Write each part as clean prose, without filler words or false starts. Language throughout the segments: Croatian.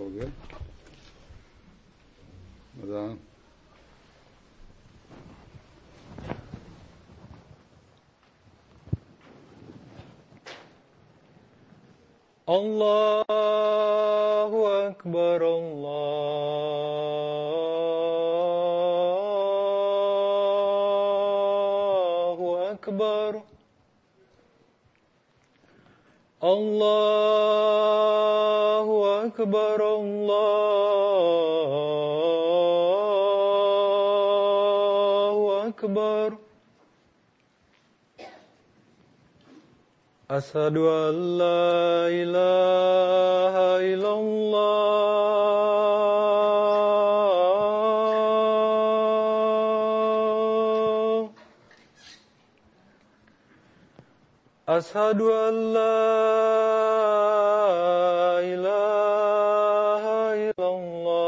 हो गया अज़ान। अल्लाहु अकबर अल्लाहु अकबर अल्लाहु अकबर अल्लाहु अकबर अशहदु अल्ला इलाहा इल्लल्लाह अशहदु अल्ला इलाहा इल्लल्लाह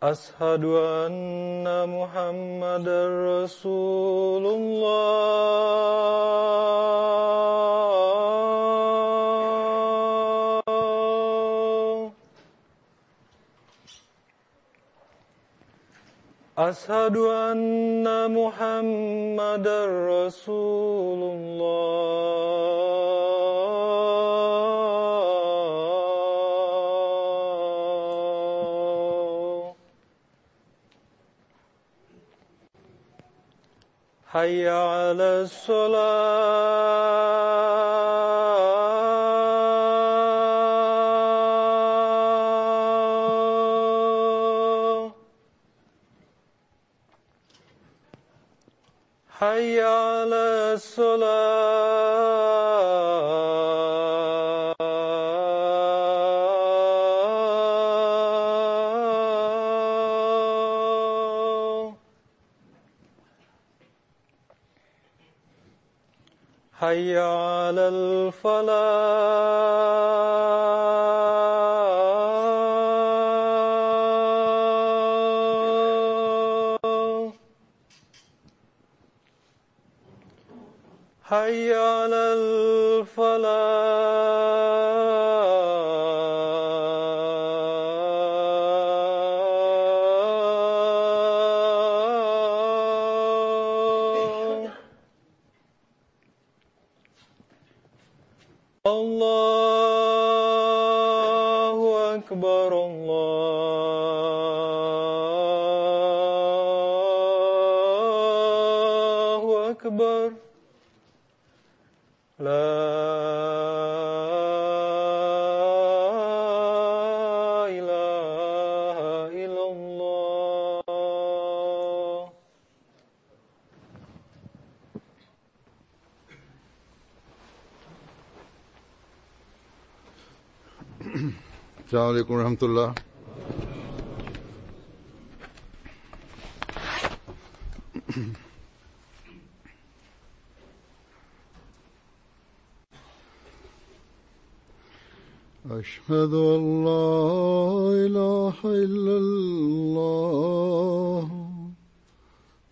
अशहदु अन्ना मुहम्मदर रसूलुल्लाह अशहदु अन्ना मुहम्मदर रसूलुल्लाह हय्या अलस्सलाह हय्या अलस्सलाह हय्या अलल फलाह हय्या अलल फलाह अल्लाहु अकबर अल्लाहु अकबर ला इलाहा इल्लल्लाह अस्सलामु अलैकुम रहमतुल्लाह। أشهد أن لا إله إلا الله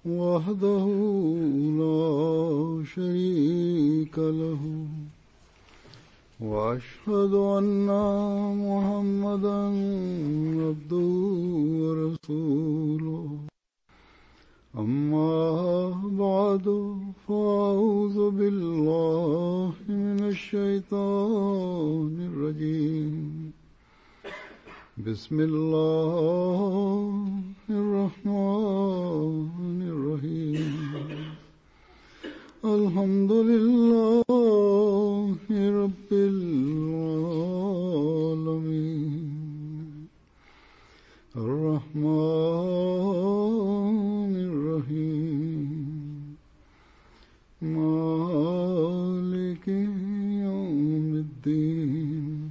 وحده لا شريك له وأشهد أن محمدا عبده ورسوله أما بعد فأعوذ بالله من الشيطان الرجيم بسم الله الرحمن الرحيم الحمد لله رب العالمين الرحمن الرحيم مالك يوم الدين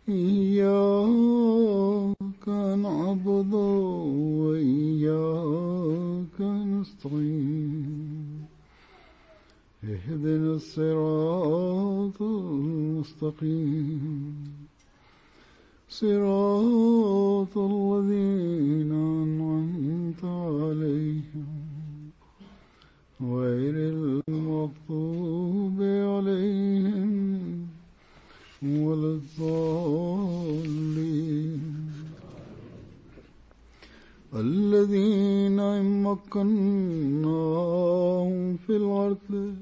إياك نعبد وإياك نستعين اهدنا الصراط المستقيم صراط الذين أنعمت أنعمت عليهم غير المغضوب عليهم ولا الضالين الذين إن مكناهم في الأرض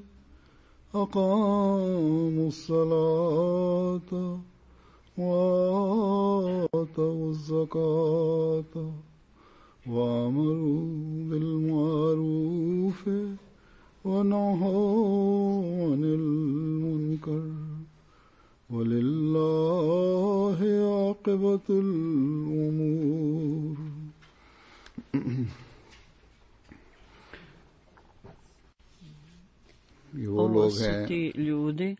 أقاموا الصلاة وآتوا الزكاة وأمروا بالمعروف ونهوا عن المنكر ولله عاقبة الأمور. Ovo su ti ljudi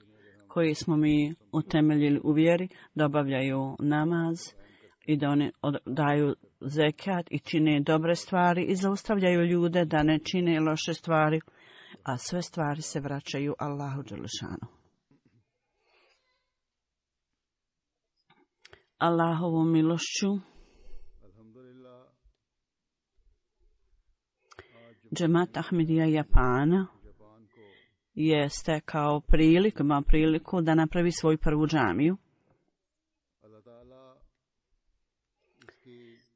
koji smo mi utemeljili u vjeri da obavljaju namaz i da oni daju zekat i čine dobre stvari i zaustavljaju ljude da ne čine loše stvari, a sve stvari se vraćaju Allahu dželešanu. Allahovom milošću Džemat Ahmedija Japana je stekao priliku da napravi svoju prvu džamiju.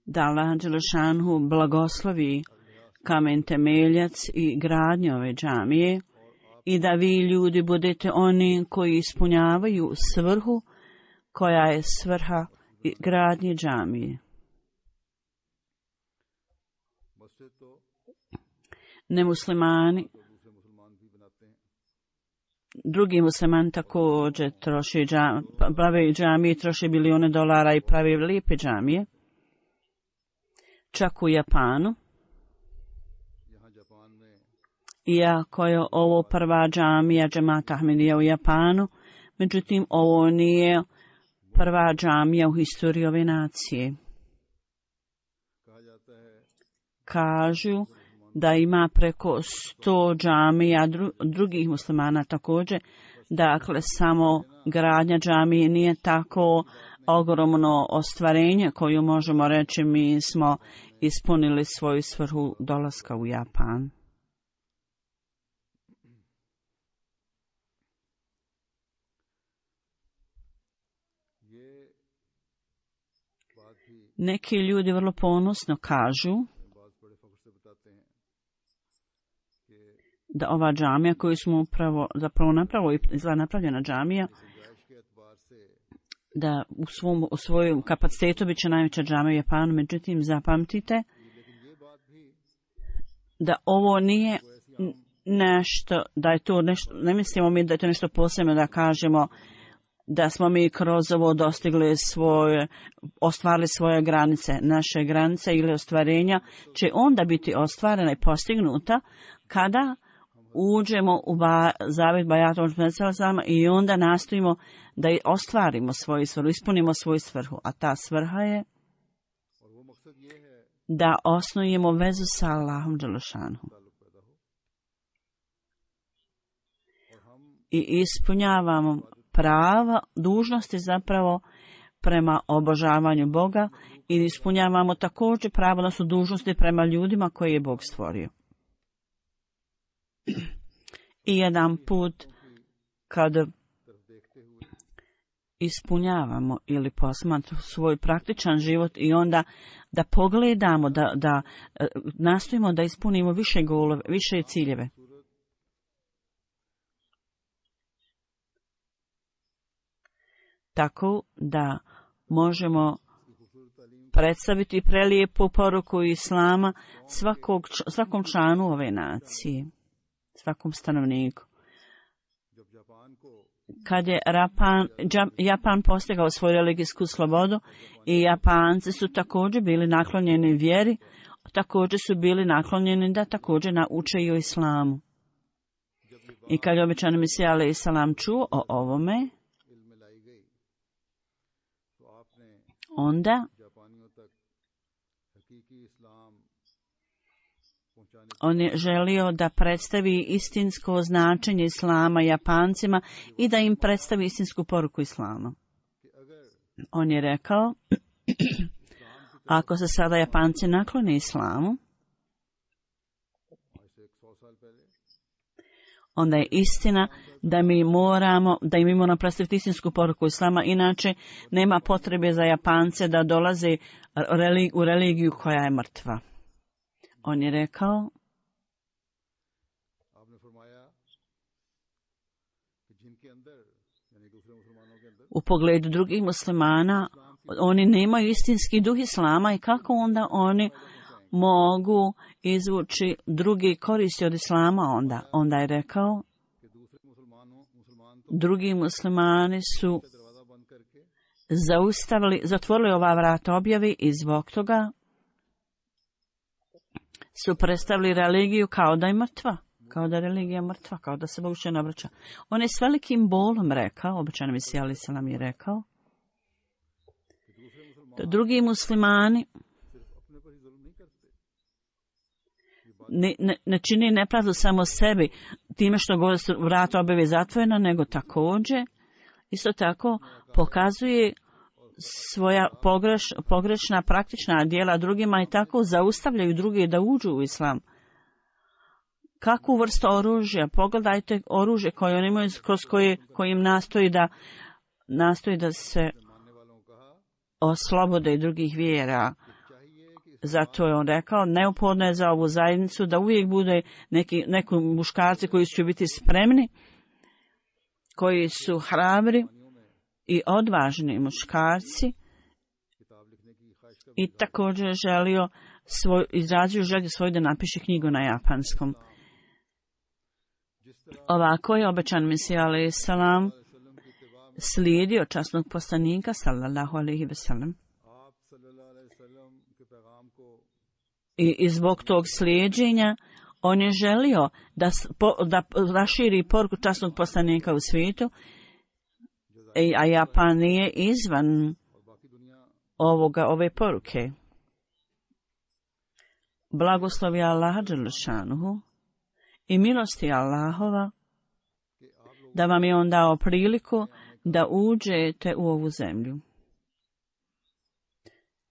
Da Allah dželešanu blagoslovi kamen temeljac i gradnju ove džamije i da vi ljudi budete oni koji ispunjavaju svrhu koja je svrha gradnje džamije. Nemuslimani, drugi muslimani također prave džamije, troše bilione dolara i prave lijepe džamije. Čak u Japanu. Iako je ovo prva džamija Džemata Ahmedija u Japanu, međutim ovo nije prva džamija u historiji ove nacije. Kažu da ima preko 100 džamija drugih muslimana također. Dakle, samo gradnja džamije nije tako ogromno ostvarenje koju možemo reći mi smo ispunili svoju svrhu dolaska u Japan. Neki ljudi vrlo ponosno kažu da ova džamija koju smo zapravo napravljena džamija, da u svojom kapacitetu bit će najveća džamija u Japanu, međutim zapamtite da ovo nije nešto, da je to nešto, ne mislimo mi da je to nešto posebno da kažemo da smo mi kroz ovo ostvarili svoje granice. Naše granice ili ostvarenja će onda biti ostvarena i postignuta kada uđemo u zavet Bajatom i onda nastojimo da ostvarimo svoju svrhu, ispunimo svoju svrhu. A ta svrha je da osnujemo vezu sa Allahom dželešanom. I ispunjavamo prava, dužnosti zapravo prema obožavanju Boga i ispunjavamo također pravo da su dužnosti prema ljudima koje je Bog stvorio. I jedan put kad ispunjavamo ili posmatramo svoj praktičan život i onda da pogledamo, da nastojimo da ispunimo više ciljeve. Tako da možemo predstaviti prelijepu poruku Islama svakom članu ove nacije, svakom stanovniku. Kad je Japan postigao svoju religijsku slobodu i Japanci su također bili naklonjeni vjeri, također su bili naklonjeni da također nauče i o islamu. I kad je obećani Mesija alejhi selam čuo o ovome, onda on je želio da predstavi istinsko značenje islama Japancima i da im predstavi istinsku poruku islama. On je rekao, ako se sada Japanci naklone islamu, onda je istina da mi moramo predstaviti istinsku poruku Islama, inače nema potrebe za Japance da dolaze u religiju koja je mrtva. On je rekao, u pogledu drugih muslimana, oni nemaju istinski duh Islama i kako onda oni mogu izvući drugi koristi od Islama onda? Onda je rekao, drugi muslimani su zatvorili ova vrata objavi i zbog toga su predstavili religiju kao da je mrtva. Kao da je religija mrtva, kao da se Bog više ne obraća. On je s velikim bolom rekao, običan Mesija alejhi selam je rekao, da drugi muslimani ne čini nepravdu samo sebi time što govore su vrata objave zatvorena, nego također isto tako pokazuje svoja pogrešna praktična djela drugima i tako zaustavljaju druge da uđu u Islam. Kakvu vrstu oružja? Pogledajte oružje koje oni imaju, kroz kojim nastoji da se oslobode drugih vjera. Zato je on rekao, neophodno je za ovu zajednicu da uvijek bude neki muškarci koji će biti spremni, koji su hrabri i odvažni muškarci i također izrazio želju svoju da napiše knjigu na japanskom. Ovako je obećan Mesija alejhi selam slijedio časnog poslanika sallallahu alejhi ve sellem. I zbog tog slijeđenja on je želio da raširi poruku časnog poslanika u svijetu, a Japan nije izvan ove poruke. Blagoslovi Allaha dželle šanuhu i milosti Allahova da vam je on dao priliku da uđete u ovu zemlju.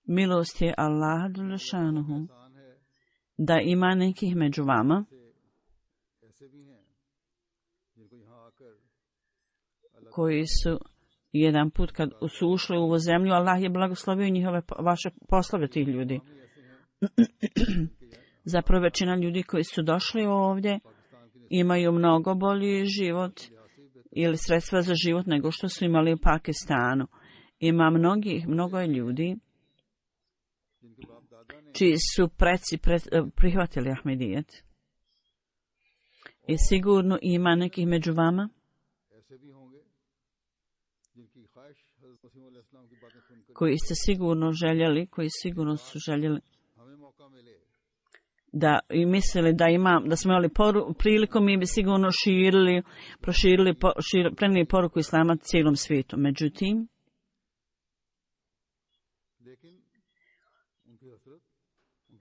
Milost je Allaha dželle šanuhu da ima nekih među vama koji su jedan put kad su ušli u ovu zemlju, Allah je blagoslovio vaše poslove tih ljudi. Zapravo većina ljudi koji su došli ovdje imaju mnogo bolji život ili sredstva za život nego što su imali u Pakistanu. Ima mnogo je ljudi čiji su preci prihvatili Ahmedijet. I sigurno ima nekih među vama koji ste sigurno željeli, koji sigurno su željeli i mislili da smo imali priliku, mi bi sigurno prenijeli poruku Islama cijelom svijetu. Međutim,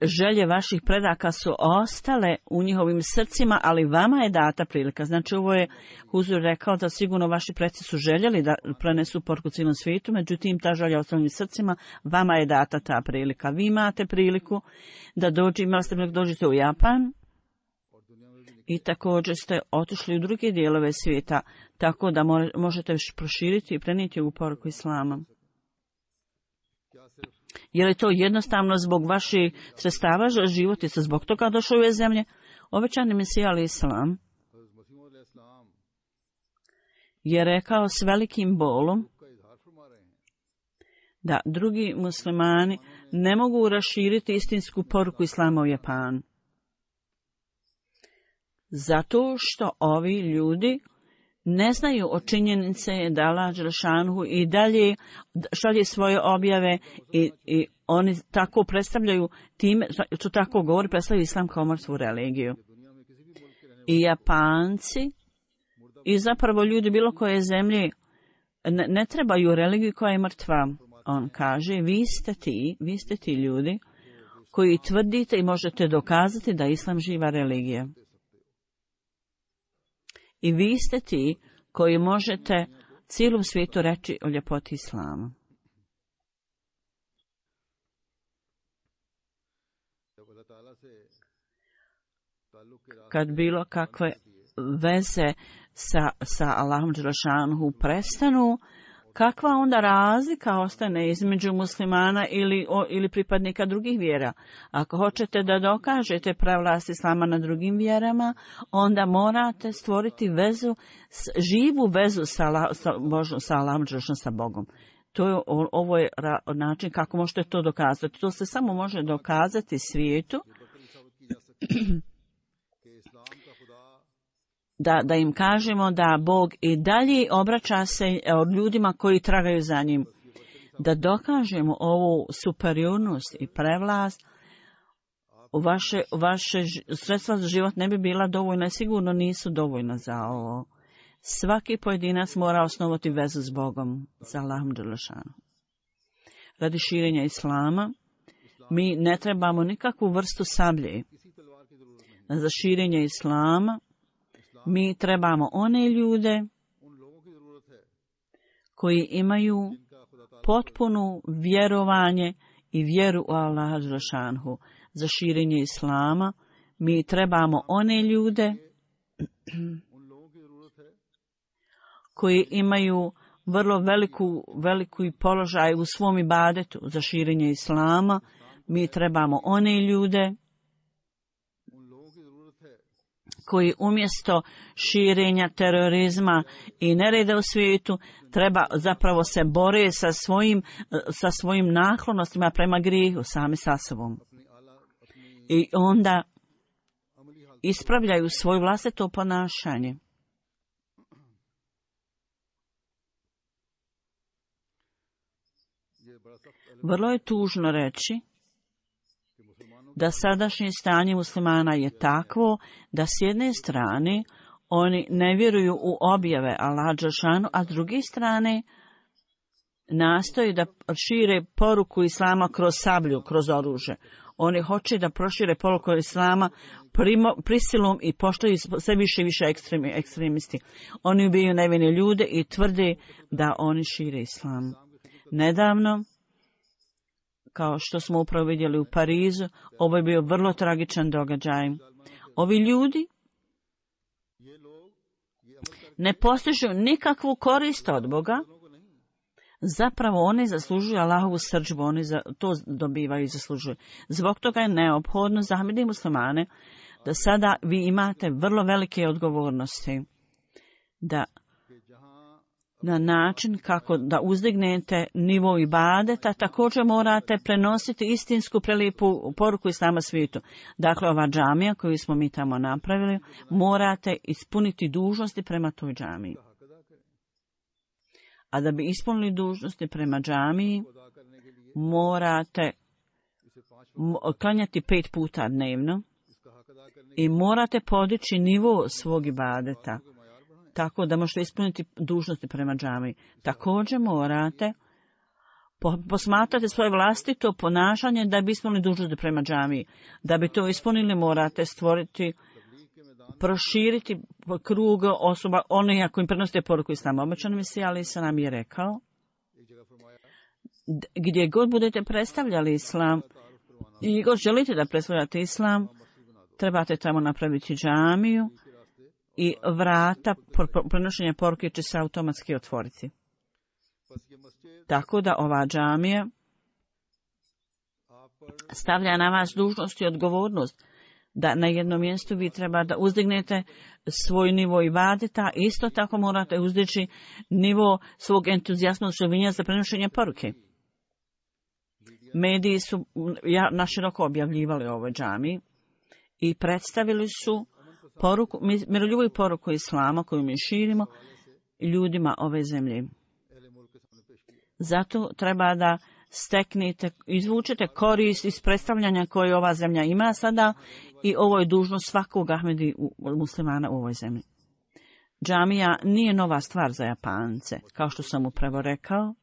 želje vaših predaka su ostale u njihovim srcima, ali vama je data prilika. Znači, ovo je Huzur rekao da sigurno vaši preci su željeli da prenesu poruku cijelom svijetu, međutim, ta želja ostala u srcima, vama je data ta prilika. Vi imate priliku da dođete u Japan i također ste otišli u druge dijelove svijeta, tako da možete proširiti i prenijeti ovu poruku Islama. Je li to jednostavno zbog vaših sredstava za život i se zbog toga došao u ove zemlje? Obećani Mesija alejhi selam je rekao s velikim bolom da drugi muslimani ne mogu raširiti istinsku poruku Islama u Japanu. Zato što ovi ljudi ne znaju o činjenice da Allah dželle šanuhu i dalje šalje svoje objave i oni tako predstavljaju time, što tako govori, predstavljaju Islam kao mrtvu religiju. I Japanci i zapravo ljudi bilo koje zemlje ne trebaju religiju koja je mrtva. On kaže, vi ste ti ljudi koji tvrdite i možete dokazati da je Islam živa religija. I vi ste ti koji možete cijelom svijetu reći o ljepoti Islama. Kad bilo kakve veze sa Allahom dželešanuhu prestanu, kakva onda razlika ostane između muslimana ili pripadnika drugih vjera? Ako hoćete da dokažete prevlast islama na drugim vjerama, onda morate stvoriti vezu, živu vezu sa Allahom dželešanuhu, sa Bogom. Ovo je način kako možete to dokazati. To se samo može dokazati svijetu da im kažemo da Bog i dalje obraća se od ljudima koji tragaju za njim. Da dokažemo ovu superiornost i prevlast, vaše sredstva za život ne bi bila dovoljna i sigurno nisu dovoljna za ovo. Svaki pojedinac mora osnovati vezu s Bogom, sa Allahom dželešanuhu. Radi širenja islama, mi ne trebamo nikakvu vrstu sablje. Za širenje islama, mi trebamo one ljude koji imaju potpuno vjerovanje i vjeru u Allaha dželešanuhu. Za širenje islama, mi trebamo one ljude koji imaju vrlo veliku položaj u svom ibadetu. Za širenje islama, mi trebamo one ljude koji umjesto širenja terorizma i nereda u svijetu zapravo se bore sa svojim naklonostima prema grijehu, sami sa sobom. I onda ispravljaju svoje vlastito ponašanje. Vrlo je tužno reći da sadašnje stanje muslimana je takvo da s jedne strane oni ne vjeruju u objave Allaha dželešanuhu, a s druge strane nastoji da šire poruku islama kroz sablju, kroz oružje. Oni hoće da prošire poruku islama prisilom i postaju sve više i više ekstremisti. Oni ubijaju nevine ljude i tvrde da oni šire islam. Nedavno, kao što smo upravo vidjeli u Parizu, ovo je bio vrlo tragičan događaj. Ovi ljudi ne postižu nikakvu korist od Boga. Zapravo oni zaslužuju Allahovu srdžbu, oni to dobivaju i zaslužuju. Zbog toga je neophodno za muslimane da sada vi imate vrlo velike odgovornosti. Da na način kako da uzdignete nivo ibadeta, također morate prenositi istinsku prelijepu poruku islama svijetu. Dakle, ova džamija koju smo mi tamo napravili, morate ispuniti dužnosti prema toj džamiji. A da bi ispunili dužnosti prema džamiji, morate klanjati 5 puta dnevno i morate podići nivo svog ibadeta, tako da možete ispuniti dužnosti prema džamiji. Također morate posmatrati svoje vlastito ponašanje da bi ispunili dužnosti prema džamiji. Da bi to ispunili, morate proširiti krug osoba, one koji prenosite poruku islama. Obećan Mesija alejhi selam je rekao, gdje god budete predstavljali islam i god želite da predstavljate islam, trebate tamo napraviti džamiju i vrata prenošenja poruke će se automatski otvoriti. Tako da ova džamija stavlja na vas dužnost i odgovornost da na jednom mjestu vi treba da uzdignete svoj nivo ibadeta, isto tako morate uzdići nivo svog entuzijasma i za prenošenje poruke. Mediji su naširoko objavljivali o ovoj džamiji i predstavili su miroljubivu poruku islama koju mi širimo ljudima ove zemlje. Zato treba da izvučete korist iz predstavljanja koje ova zemlja ima sada i ovo je dužnost svakog Ahmedi muslimana u ovoj zemlji. Džamija nije nova stvar za Japance. Kao što sam upravo rekao,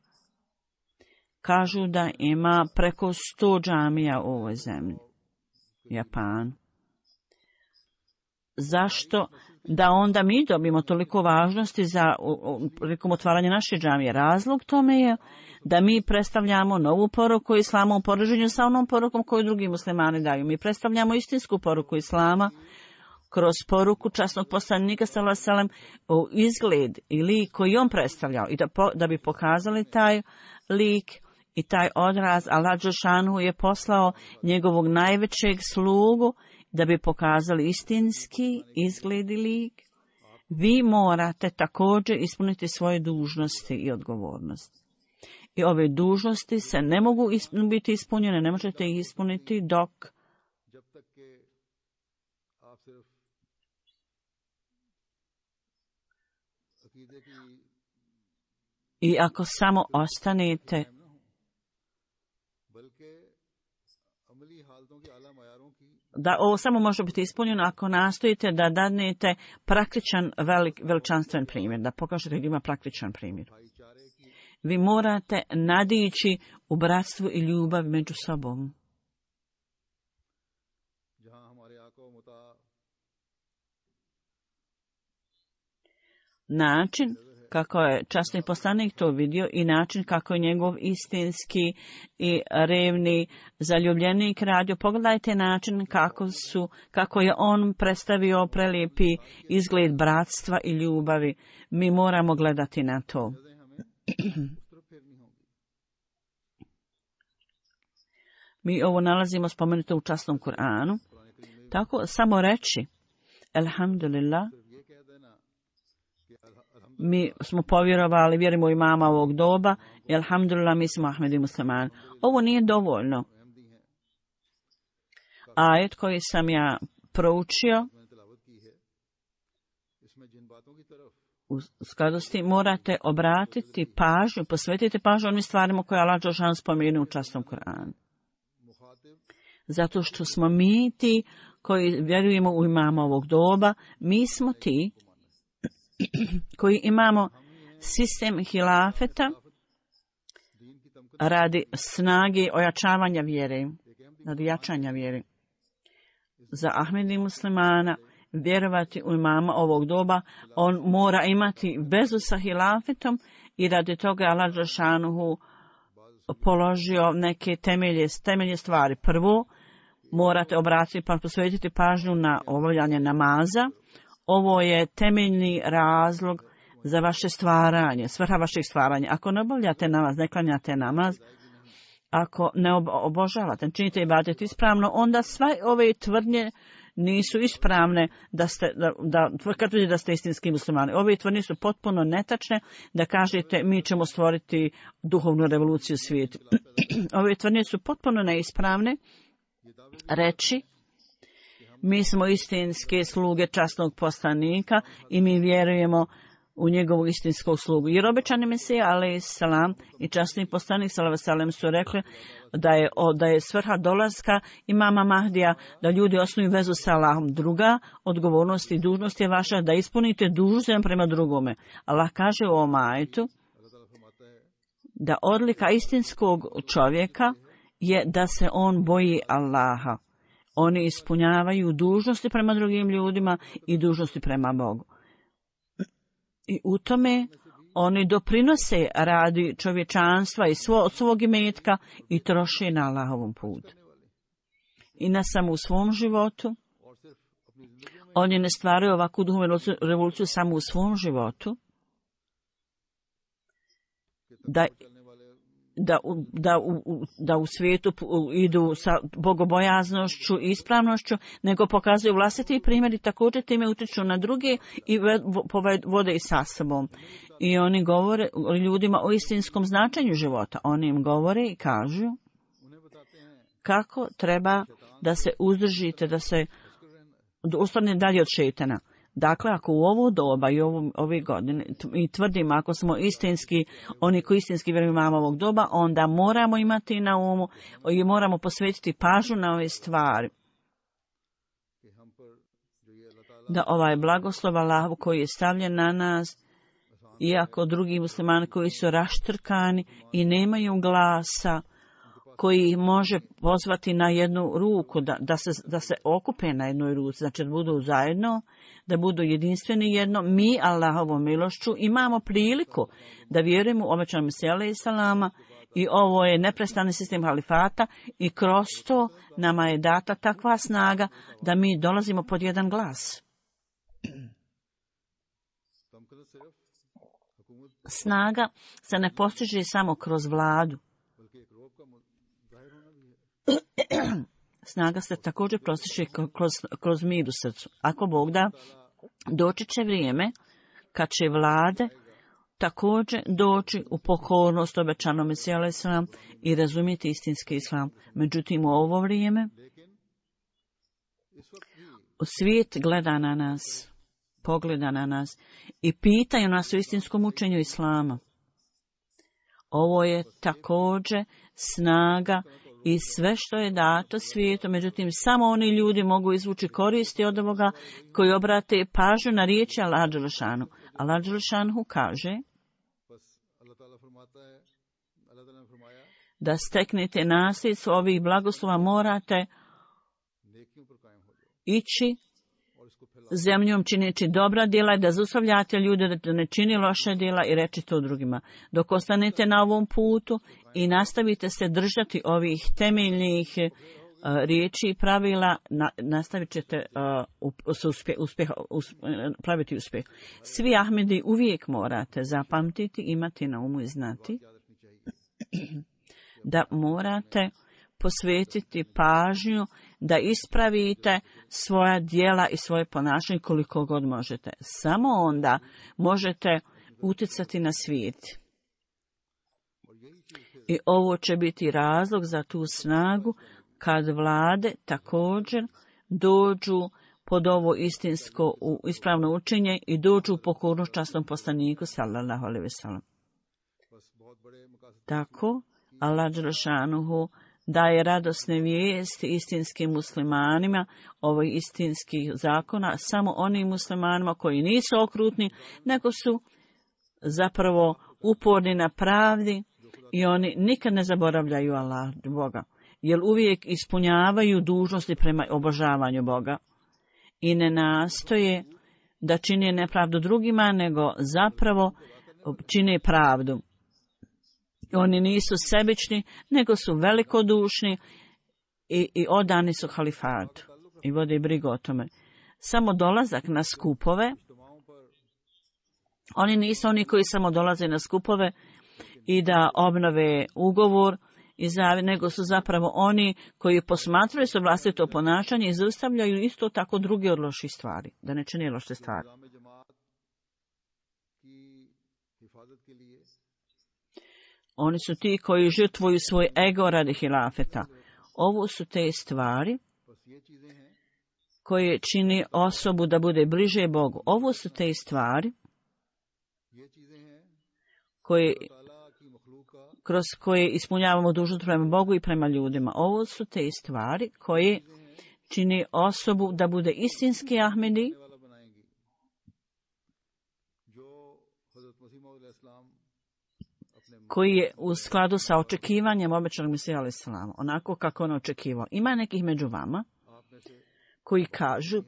kažu da ima preko 100 džamija u ovoj zemlji. Japan. Zašto da onda mi dobimo toliko važnosti prilikom otvaranja naše džamije? Razlog tome je da mi predstavljamo novu poruku islama u poređenju sa onom porukom koju drugi muslimani daju. Mi predstavljamo istinsku poruku islama kroz poruku časnog poslanika sallallahu alejhi ve sellem u izgled i lik koji on predstavljao i da bi pokazali taj lik i taj odraz. Allah dželešanu je poslao njegovog najvećeg slugu da bi pokazali istinski izgled i lik. Vi morate također ispuniti svoje dužnosti i odgovornosti. I ove dužnosti se ne mogu biti ispunjene, ne možete ih ispuniti dok i ako samo ostanete da ovo samo može biti ispunjeno ako nastojite da dadnete praktičan veličanstven primjer, da pokažete da ima praktičan primjer. Vi morate nadići u bratstvu i ljubav među sobom. Način kako je časni poslanik to vidio i način kako je njegov istinski i revni zaljubljenik radio. Pogledajte način kako je on predstavio prelijepi izgled bratstva i ljubavi. Mi moramo gledati na to. Mi ovo nalazimo spomenuto u časnom Kur'anu. Tako samo reći Alhamdulillah. Mi smo povjerovali, vjerujemo u imama ovog doba i alhamdulillah mi smo Ahmedi muslimani. Ovo nije dovoljno. Ajet koji sam ja proučio, u skladu s tim morate obratiti pažnju, posvetite pažnju onim stvarima koje Allah dželešanu spomenuo u časnom Kur'anu. Zato što smo mi ti koji vjerujemo u imama ovog doba, mi smo ti koji imamo sistem hilafeta radi snage ojačavanja vjere, radi jačanja vjere. Za Ahmedi muslimana vjerovati u imama ovog doba, on mora imati vezu sa hilafetom i radi toga Allah dželešanu položio neke temelje stvari. Prvo, morate obratiti pa posvetiti pažnju na obavljanje namaza. Ovo je temeljni razlog za vaše stvaranje, svrha vašeg stvaranja. Ako ne obavljate namaz, ne klanjate namaz, ako ne obožavate, ne činite ibadet ispravno, onda sve ove tvrdnje nisu ispravne da tvrdite da ste istinski muslimani. Ove tvrdnje su potpuno netačne da kažete mi ćemo stvoriti duhovnu revoluciju u svijetu. Ove tvrdnje su potpuno neispravne reći mi smo istinske sluge časnog poslanika i mi vjerujemo u njegovu istinsku slugu. Jer obećani Mesija alejselam i časni poslanik sallallahu alejhi ve sellem su rekli da je svrha dolaska imama Mahdija da ljudi osnuju vezu sa Allahom. Druga odgovornost i dužnost je vaša da ispunite dužnost prema drugome. Allah kaže u ovom ajetu da odlika istinskog čovjeka je da se on boji Allaha. Oni ispunjavaju dužnosti prema drugim ljudima i dužnosti prema Bogu. I u tome oni doprinose radi čovječanstva i svog imetka i troše na Allahovom putu. I ne samo u svom životu. Oni ne stvaraju ovakvu duhovnu revoluciju samo u svom životu. Da u svijetu idu sa bogobojaznošću i ispravnošću, nego pokazuju vlastiti primjer i također time utječu na druge i vode i sa sobom. I oni govore ljudima o istinskom značenju života. Oni im govore i kažu kako treba da se uzdržite, da se ostane dalje od šejtana. Dakle, ako u ovo doba i ove godine i tvrdimo ako smo istinski, oni koji istinski vjeruju imamo ovog doba, onda moramo imati na umu i moramo posvetiti pažnju na ove stvari. Da ovaj blagoslov Allahu koji je stavljen na nas, iako drugi muslimani koji su raštrkani i nemaju glasa, koji može pozvati na jednu ruku, da se okupe na jednoj ruci, znači da budu zajedno, da budu jedinstveni jedno. Mi, Allahovom milošću, imamo priliku da vjerujemo u obećanog Mesija alejselama I ovo je neprestani sistem halifata i kroz to nama je data takva snaga da mi dolazimo pod jedan glas. Snaga se ne postiže samo kroz vladu. Snaga se također postiže kroz mir u srcu. Ako Bog da, doći će vrijeme kad će vlade također doći u pokornost obećanom Mesiju alejhi selam i razumjeti istinski islam. Međutim, u ovo vrijeme svijet gleda na nas, pogleda na nas i pitaju nas o istinskom učenju islama. Ovo je također snaga i sve što je dato svijetu, međutim samo oni ljudi mogu izvući koristi od ovoga koji obrate pažnju na riječi Allaha dželešanu. Allah dželešanu kaže da steknete nasljedstvo ovih blagoslova, morate ići zemljom čineći dobra djela i da zaustavljate ljude da ne čini loše djela i reći to drugima. Dok ostanete na ovom putu i nastavite se držati ovih temeljnih riječi i pravila, nastavit ćete praviti uspjeh. Svi Ahmedi uvijek morate zapamtiti, imati na umu i znati da morate posvetiti pažnju da ispravite svoja djela i svoje ponašanje koliko god možete. Samo onda možete utjecati na svijet. I ovo će biti razlog za tu snagu kad vlade također dođu pod ovo istinsko ispravno učenje i dođu u pokornost časnom poslaniku sallallahu alejhi ve sellem. Tako Allah dželešanuhu daje radosne vijesti istinskim muslimanima, ovih istinskih zakona, samo onim muslimanima koji nisu okrutni, nego su zapravo uporni na pravdi i oni nikad ne zaboravljaju Allah, Boga, jer uvijek ispunjavaju dužnosti prema obožavanju Boga i ne nastoje da čine nepravdu drugima, nego zapravo čine pravdu. Oni nisu sebični, nego su velikodušni i odani su halifatu i vode brigu o tome. Samo dolazak na skupove, oni nisu oni koji samo dolaze na skupove i da obnove ugovor, nego su zapravo oni koji posmatraju svoje vlastito ponašanje i zaustavljaju isto tako druge od loših stvari, da ne čine loše stvari. Oni su ti koji žrtvuju svoj ego radi hilafeta. Ovo su te stvari koje čini osobu da bude bliže Bogu. Ovo su te stvari kroz koje ispunjavamo dužnost prema Bogu i prema ljudima. Ovo su te stvari koje čini osobu da bude istinski Ahmedi, koji je u skladu sa očekivanjem obećanog Mesija alejhi selam, onako kako on očekivao. Ima nekih među vama koji kažu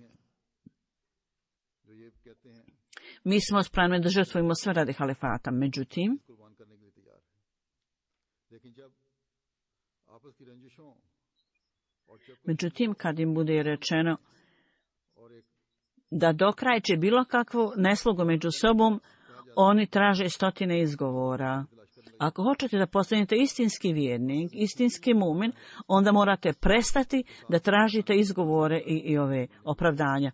mi smo spremni da žrtvujemo sve radi halifata. Međutim, kad im bude rečeno da dokrajče bilo kakvu neslogu među sobom, oni traže stotine izgovora. Ako hoćete da postanete istinski vjernik, istinski mumin, onda morate prestati da tražite izgovore i ove opravdanja.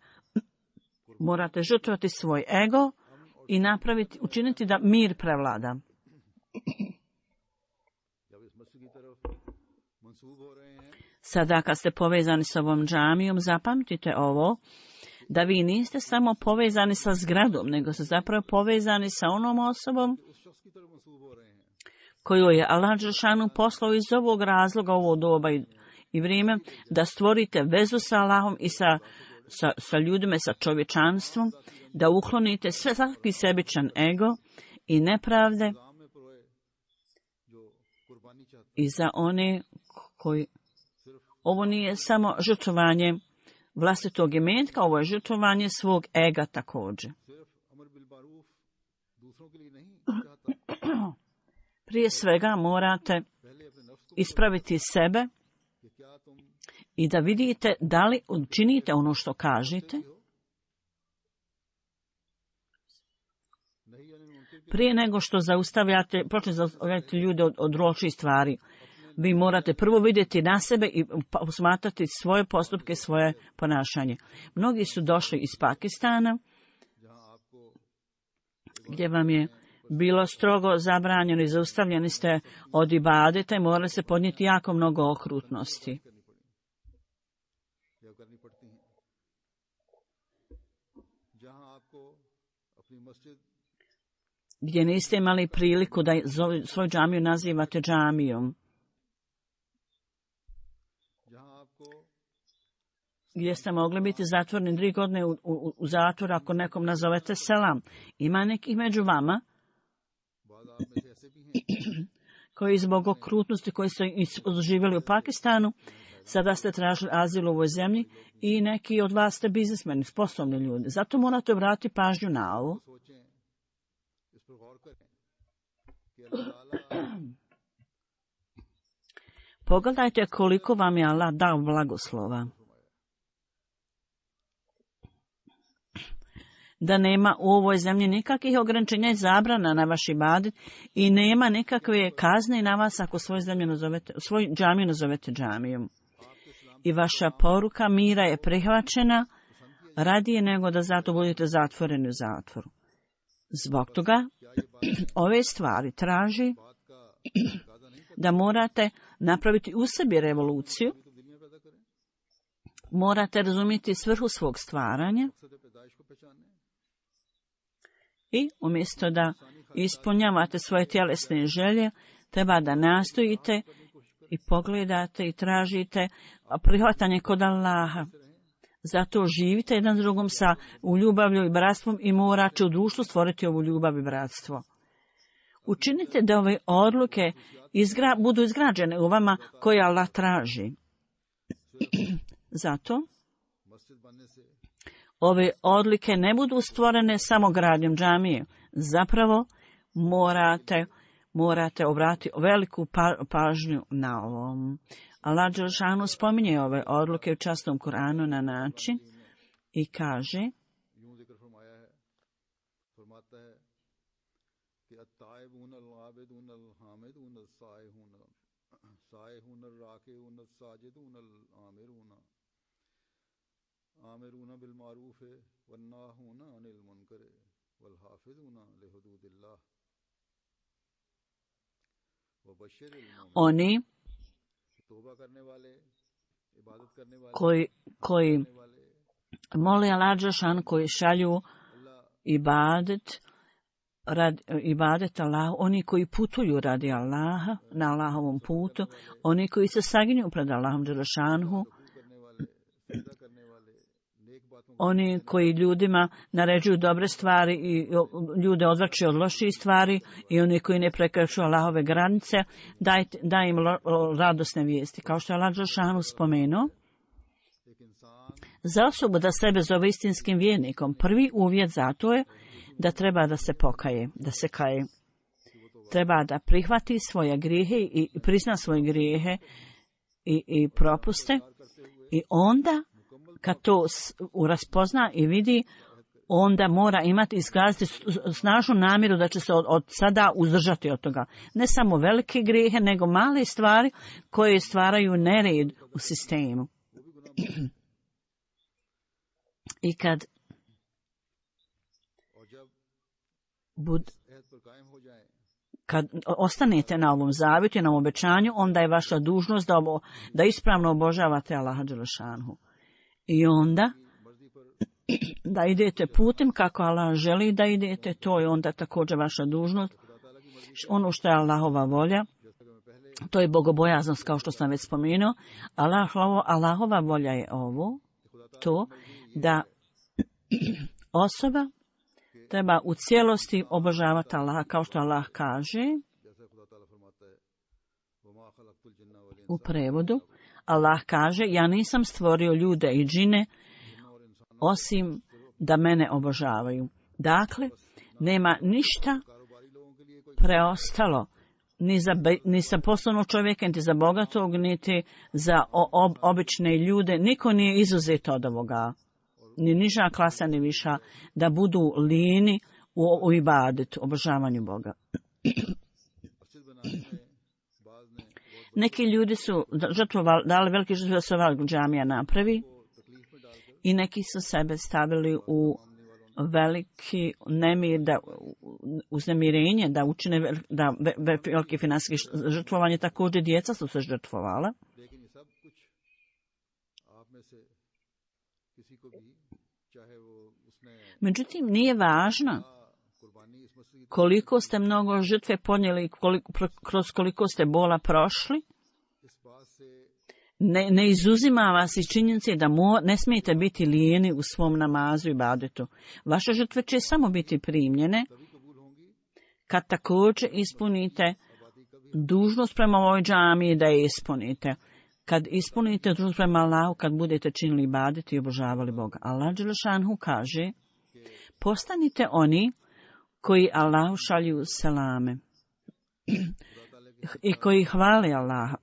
Morate žrtvovati svoj ego i učiniti da mir prevlada. Sada kad ste povezani s ovom džamijom, zapamtite ovo, da vi niste samo povezani sa zgradom, nego ste zapravo povezani sa onom osobom koju je Allah dželešanu poslao iz ovog razloga, ovo doba i vrijeme, da stvorite vezu sa Allahom i sa ljudima, sa čovječanstvom, da uklonite svaki sebičan ego i nepravde i za one koji... Ovo nije samo žrtvovanje vlastitog imetka, ovo je žrtvovanje svog ega također. Prije svega morate ispraviti sebe i da vidite da li činite ono što kažete. Prije nego što počnete zaustavljati ljude od loših stvari, vi morate prvo vidjeti na sebe i posmatrati svoje postupke, svoje ponašanje. Mnogi su došli iz Pakistana, gdje vam je bilo strogo zabranjeno i zaustavljeni ste od ibadeta i morali se podnijeti jako mnogo okrutnosti. Gdje niste imali priliku da svoju džamiju nazivate džamijom. Gdje ste mogli biti zatvoreni 3 godine u zatvoru ako nekom nazovete selam. Ima nekih među vama koji zbog okrutnosti koji su živjeli u Pakistanu, sada ste tražili azil u ovoj zemlji i neki od vas ste biznismeni, sposobni ljudi. Zato morate obratiti pažnju na ovo. Pogledajte koliko vam je Allah dao blagoslova. Da nema u ovoj zemlji nikakvih ograničenja i zabrana na vaš ibadet i nema nikakve kazne na vas ako svoju džamiju nazovete džamijom. I vaša poruka mira je prihvaćena radije nego da zato budete zatvoreni u zatvoru. Zbog toga ove stvari traži da morate napraviti u sebi revoluciju, morate razumjeti svrhu svog stvaranja i umjesto da ispunjavate svoje tjelesne želje, treba da nastojite i pogledate i tražite prihvatanje kod Allaha. Zato živite jedan s drugom u ljubavlju i bratstvom i morate u društvu stvoriti ovu ljubav i bratstvo. Učinite da ove odluke budu izgrađene u vama koje Allah traži. Zato ove odlike ne budu stvorene samo gradnjom džamije. Zapravo morate obratiti veliku pažnju na ovom. Allah dželešanu spominje ove odluke u časnom Kur'anu na način i kaže: oni koji mole Allah dželešanu, koji šalju ibadet Allahu, oni koji putuju radi Allaha na Allahovom putu, oni koji se saginju pred Allahom dželešanu, oni koji ljudima naređuju dobre stvari i ljude odvraćaju od loših stvari i oni koji ne prekračuju Allahove granice, daj im radosne vijesti. Kao što je Allah dželešanu spomenuo, za osobu da sebe zove istinskim vjernikom, prvi uvjet za to je da treba da se pokaje, da se kaje. Treba da prihvati svoje grijehe i prizna svoje grijehe i propuste i onda kad to raspozna i vidi, onda mora imati iskazati snažnu namjeru da će se od sada uzdržati od toga. Ne samo velike grijehe, nego male stvari koje stvaraju nered u sistemu. I kad ostanete na ovom zavjetu, na ovom obećanju, onda je vaša dužnost da ispravno obožavate Allaha dželešanu. I onda da idete putem kako Allah želi da idete, to je onda također vaša dužnost. Ono što je Allahova volja, to je bogobojaznost, kao što sam već spomenuo. Allahova volja je to da osoba treba u cijelosti obožavati Allaha, kao što Allah kaže u prevodu. Allah kaže: ja nisam stvorio ljude i džine osim da mene obožavaju. Dakle, nema ništa preostalo ni za poslovnog čovjeka, niti za bogatog, niti za obične ljude. Niko nije izuzet od ovoga. Ni niža klasa, ni viša, da budu lijeni u ibadetu, obožavanju Boga. Neki ljudi su dali velike žrtve da se ova džamija napravi i neki su sebe stavili u veliki nemir, uznemirenje, da učine velike financijske žrtvovanje. Također djeca su se žrtvovala. Međutim, nije važno koliko ste mnogo žrtve podnijeli, kroz koliko ste bola prošli. Ne izuzima vas iz činjenice da ne smijete biti lijeni u svom namazu i ibadetu. Vaše žrtve će samo biti primljene kad također ispunite dužnost prema ovoj džamiji, da je ispunite. Kad ispunite dužnost prema Allahu, kad budete činili ibadet i obožavali Boga. Allah dželešanhu kaže: postanite oni koji Allahu šalju selame i koji hvale Allaha.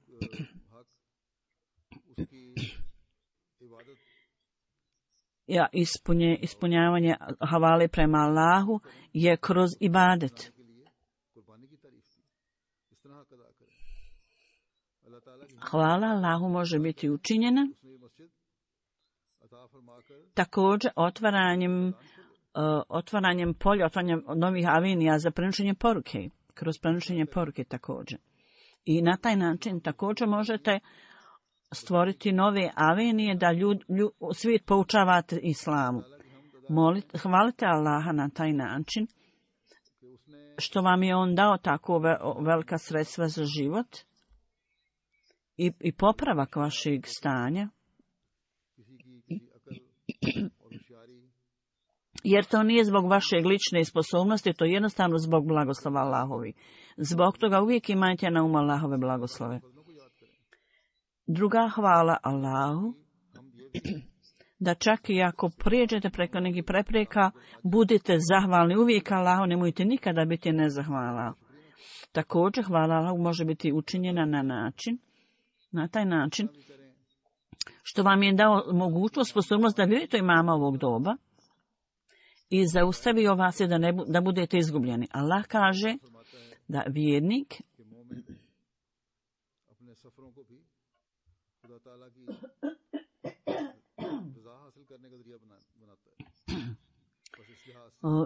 Ispunjavanje havale prema Allahu je kroz ibadet. Hvala Allahu može biti učinjena također otvaranjem polja, otvaranjem novih avenija za prenošenje poruke, kroz prenošenje poruke također. I na taj način također možete stvoriti nove avenije da svijet poučavate islamu. Hvalite Allaha na taj način što vam je on dao tako velika sredstva za život i popravak vašeg stanja. Jer to nije zbog vaše lične sposobnosti, to je jednostavno zbog blagoslova Allahovi. Zbog toga uvijek imajte na umu Allahove blagoslove. Druga hvala Allahu, da čak i ako prijeđete preko nekih prepreka, budite zahvalni uvijek Allahu, nemojte nikada biti nezahvala. Također hvala Allahu može biti učinjena na taj način, što vam je dao mogućnost, sposobnost da vidite imama ovog doba i zaustavio vas je da budete izgubljeni. Allah kaže da vjernik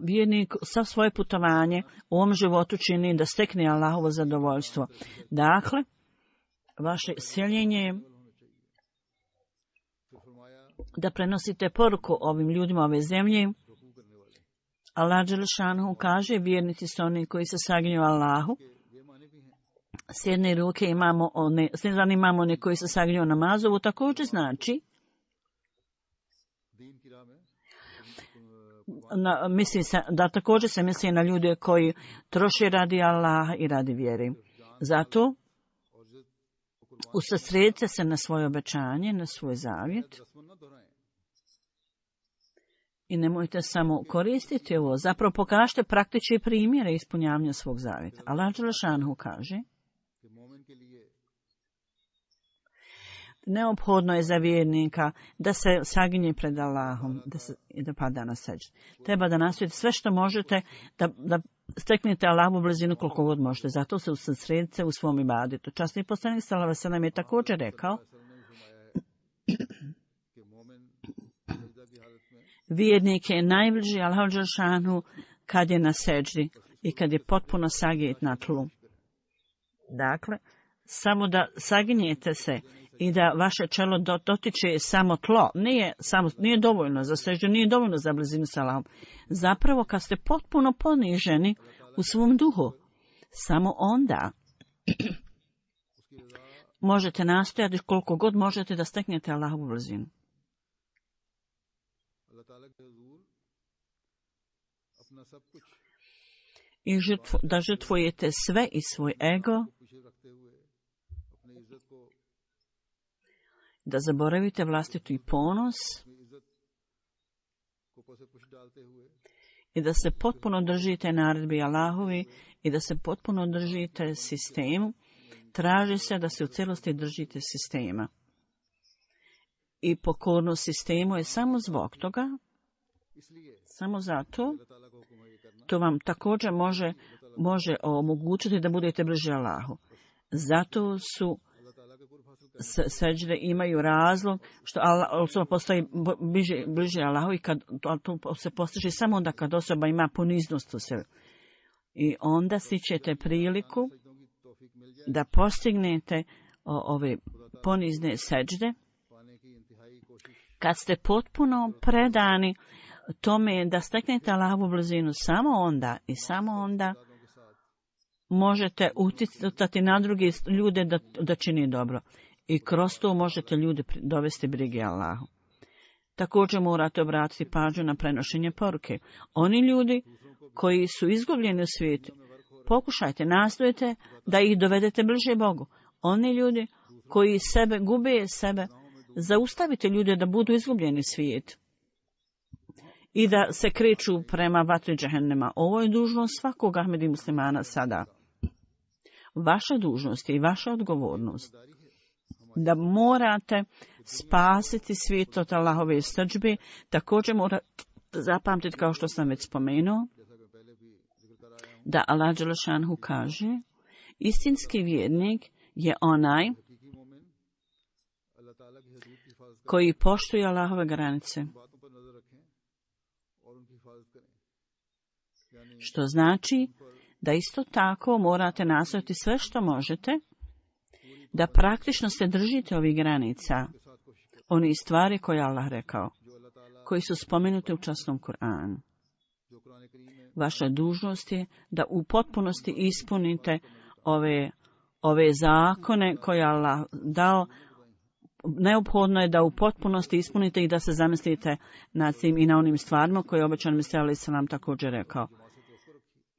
vjernik sa svoje putovanje u ovom životu čini da stekne Allahovo zadovoljstvo. Dakle, vaše seljenje je da prenosite poruku ovim ljudima ove zemlje. Allah dželešanhu kaže: vjernici su oni koji se saginju Allahu. S jedne ruke imamo one koji se saginju namazu. Ovo također znači da također se misli na ljude koji troše radi Allaha i radi vjere. Zato usredsredite se na svoje obećanje, na svoj zavjet. I nemojte samo koristiti ovo. Zapravo pokažite praktične primjere ispunjavanja svog zavjeta. Allah dželešanhu kaže: neophodno je za vjernika da se saginje pred Allahom i da pada na seđdu. Treba da nastojite sve što možete da steknete Allahovu blizinu koliko god možete. Zato se usredsredite u svom ibadetu. Časni poslanik sallallahu alejhi ve sellem je također rekao: vjernik je najbliži Allahu dželešanu kad je na seđdi i kad je potpuno sagijet na tlu. Dakle, samo da saginjete se i da vaše čelo dotiče samo tlo, nije dovoljno za seždu, nije dovoljno za blizinu s Allahom. Zapravo, kad ste potpuno poniženi u svom duhu, samo onda možete nastojati koliko god možete da steknete Allahovu blizinu. I da žrtvujete sve i svoj ego, da zaboravite vlastitu i ponos i da se potpuno držite naredbi Allahovi i da se potpuno držite sistemu. Traži se da se u cijelosti držite sistema. I pokornost sistemu je samo zbog toga, samo zato, to vam također može omogućiti da budete bliži Allahu. Zato su seđde imaju razlog što osoba postaje bliže Allahu i kad to se postiže samo onda kad osoba ima poniznost u sebi. I onda stičete priliku da postignete ove ponizne seđde kad ste potpuno predani tome da steknete Allahovu blizinu. Samo onda možete utjecati na druge ljude da čini dobro. I kroz to možete ljude dovesti brige Allahu. Također morate obratiti pažnju na prenošenje poruke. Oni ljudi koji su izgubljeni u svijetu, pokušajte, nastojite da ih dovedete bliže Bogu. Oni ljudi koji gube sebe, zaustavite ljude da budu izgubljeni svijet i da se kreću prema vatri džehennema. Ovo je dužnost svakog Ahmedi muslimana sada. Vaša dužnost je i vaša odgovornost da morate spasiti svijet od Allahove srdžbe. Također morate zapamtiti, kao što sam već spomenuo, da Allah dželešanhu kaže, istinski vjernik je onaj koji poštuje Allahove granice. Što znači da isto tako morate nastojati sve što možete da praktično se držite ovih granica, oni stvari koje je Allah rekao, koji su spomenuti u časnom Kur'anu. Vaša dužnost je da u potpunosti ispunite ove zakone koje je Allah dao. Neophodno je da u potpunosti ispunite i da se zamislite nad tim i na onim stvarima koje je obećan Mesija alejhi selam također rekao.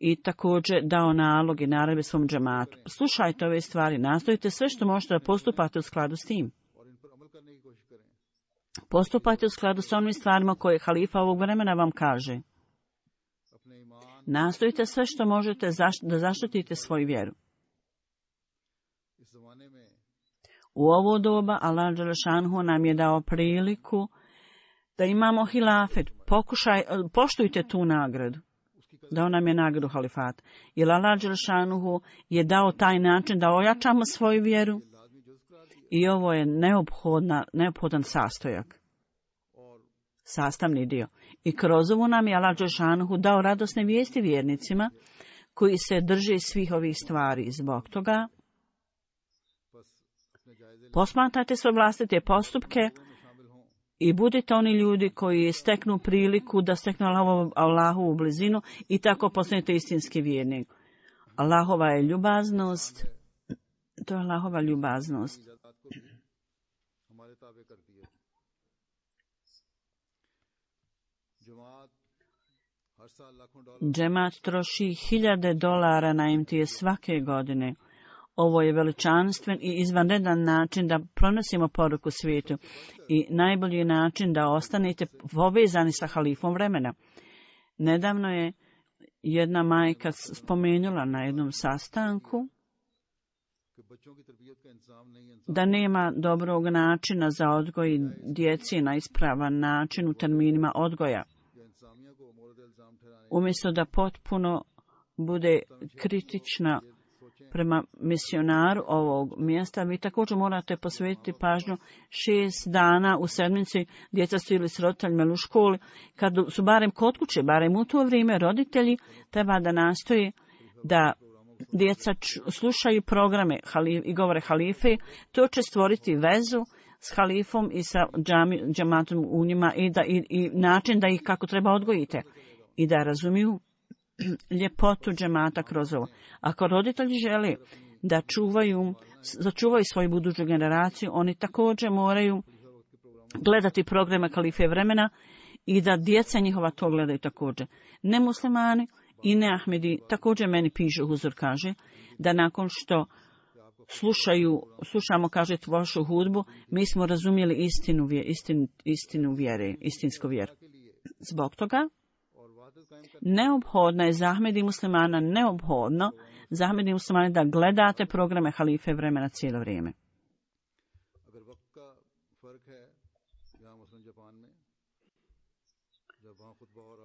I također dao nalog i naredbe svom džematu. Slušajte ove stvari, nastojite sve što možete da postupate u skladu s tim. Postupajte u skladu s onim stvarima koje halifa ovog vremena vam kaže. Nastojite sve što možete da zaštitite svoju vjeru. U ovo doba Allah dželešanhu nam je dao priliku da imamo hilafet. Poštujte tu nagradu. Dao nam je nagradu halifata. Jer Allah dželešanhu je dao taj način da ojačamo svoju vjeru. I ovo je neophodan sastojak. Sastavni dio. I kroz ovo nam je Allah dželešanhu dao radosne vijesti vjernicima koji se drže svih ovih stvari. Zbog toga posmatrajte svoje vlastite postupke i budite oni ljudi koji steknu priliku da steknu Allahovu blizinu i tako postanete istinski vjernik. Allahova je ljubaznost, to je Allahova ljubaznost. Džemat troši $1000 na imtije svake godine. Ovo je veličanstven i izvanredan način da pronosimo poruku svijetu i najbolji način da ostanete povezani sa halifom vremena. Nedavno je jedna majka spomenula na jednom sastanku da nema dobrog načina za odgoj djeci na ispravan način u terminima odgoja. Umjesto da potpuno bude kritična prema misionaru ovog mjesta, vi također morate posvetiti pažnju 6 dana u sedmici. Djeca su ili s roditeljima ili u školi, kad su barem kod kuće, barem u to vrijeme, roditelji treba da nastoje da djeca slušaju programe i govore halife. To će stvoriti vezu s halifom i sa džematom u njima i način da ih kako treba odgojite i da razumiju ljepotu džemata kroz ovo. Ako roditelji žele da začuvaju svoju buduću generaciju, oni također moraju gledati programe halife vremena i da djeca njihova to gledaju također. Nemuslimani i neahmedi također meni pišu, Huzur kaže, da nakon što slušamo, kaže, vašu hudbu, mi smo razumjeli istinsku vjeru. Zbog toga Neophodno je za Ahmedi muslimana, neophodno za Ahmedi muslimana da gledate programe halife vremena cijelo vrijeme.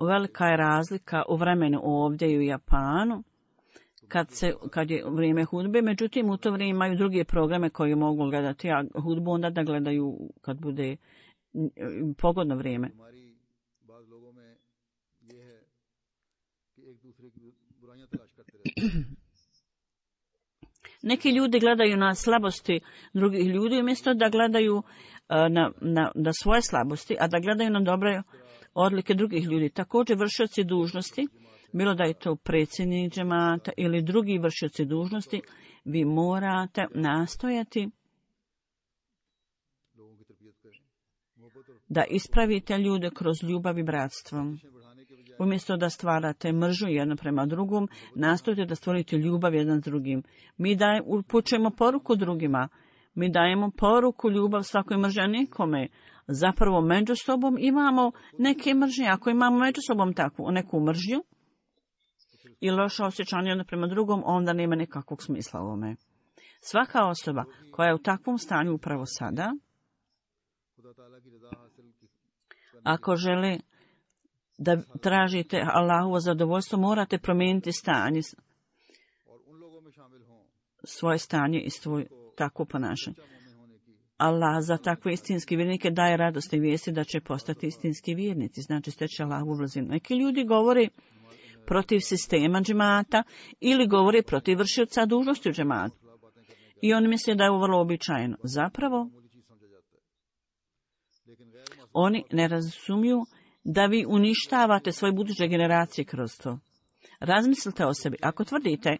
Velika je razlika u vremenu ovdje i u Japanu kad je vrijeme hudbe, međutim u to vrijeme imaju druge programe koje mogu gledati, a hudbu onda da gledaju kad bude pogodno vrijeme. Neki ljudi gledaju na slabosti drugih ljudi umjesto da gledaju na svoje slabosti, a da gledaju na dobre odlike drugih ljudi. Također vršioci dužnosti, bilo da je to predsjednik džemata ili drugi vršioci dužnosti, vi morate nastojati da ispravite ljude kroz ljubav i bratstvo. Umjesto da stvarate mržnju jedno prema drugom, nastojite da stvorite ljubav jedan s drugim. Mi upućujemo poruku drugima. Mi dajemo poruku ljubav svakoj mržnji, nikome. Zapravo među sobom imamo neke mržnje. Ako imamo među sobom takvu neku mržnju i loše osjećanje jedno prema drugom, onda nema nikakvog smisla u ovome. Svaka osoba koja je u takvom stanju upravo sada, ako žele da tražite Allahovo zadovoljstvo, morate promijeniti stanje, svoje stanje i svoje takvo ponašanje. Allah za takve istinske vjernike daje radost i vijesti da će postati istinski vjernici, znači steći Allahovu blizinu. Neki ljudi govore protiv sistema džemata ili govore protiv vršioca dužnosti u džematu. I oni misle da je ovo vrlo običajno. Zapravo, oni ne razumiju da vi uništavate svoje buduće generacije kroz to. Razmislite o sebi. Ako tvrdite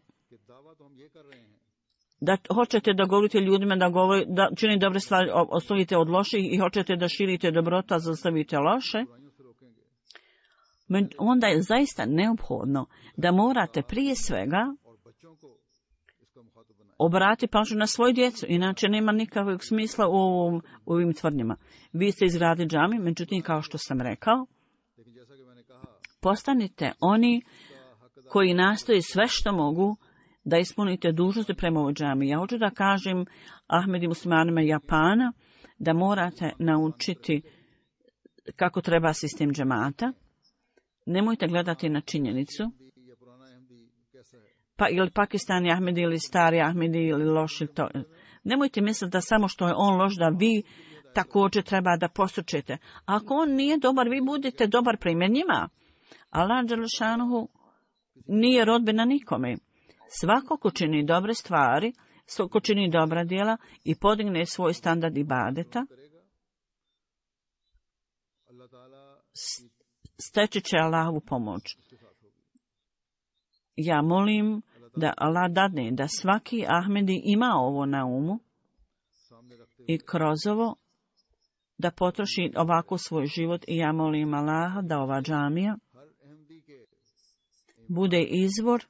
da hoćete da govorite ljudima da čini dobre stvari, ostavite od loših i hoćete da širite dobrotu, a zastavite loše, onda je zaista neophodno da morate prije svega obrati pažnju na svoju djecu, inače nema nikakvog smisla u ovim tvrdnjama. Vi ste izgradili džami, međutim, kao što sam rekao, postanite oni koji nastoje sve što mogu da ispunite dužnosti prema ovoj džami. Ja hoću da kažem Ahmedi muslimanima Japana da morate naučiti kako treba sistem džemata. Nemojte gledati na činjenicu, pa ili Pakistani Ahmedi ili stari Ahmedi ili loši to. Nemojte misliti da samo što je on loš da vi također treba da postučete. Ako on nije dobar, vi budete dobar primjer njima. Allah dželešanuhu nije rodbina nikome. Svako ko čini dobre stvari, ko čini dobra djela i podigne svoj standard ibadeta, steći će Allahovu pomoć. Ja molim da Allah dadne da svaki Ahmedi ima ovo na umu i kroz ovo da potroši ovako svoj život i ja molim Allaha da ova džamija bude izvor